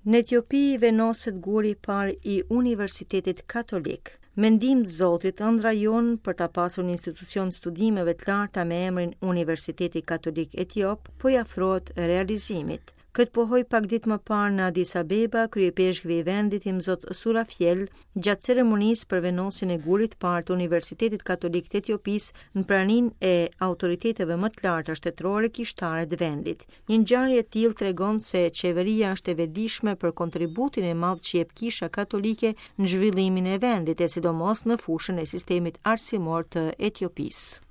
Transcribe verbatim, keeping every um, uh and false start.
Në Etiopi vendoset guri i parë i Universitetit Katolik. Me ndihmë të Zotit, ëndra jonë për ta pasur një institucion studimeve të larta me emrin Universiteti Katolik Etiop po i afrohet realizimit. Këtë pohoi pak ditë më parë në Addis Abeba, kryeipeshkvi i vendit Imzot Surafiel, gjatë ceremonisë për vendosjen e gurit parë të Universitetit Katolik të Etiopisë në praninë e autoriteteve më të larta shtetërore kishtare të vendit. Një ngjarje e tillë tregon se qeveria është e vetëdijshme për kontributin e madh që jep Kisha Katolike në zhvillimin e vendit, e sidomos në fushën e sistemit arsimor të Etiopisë.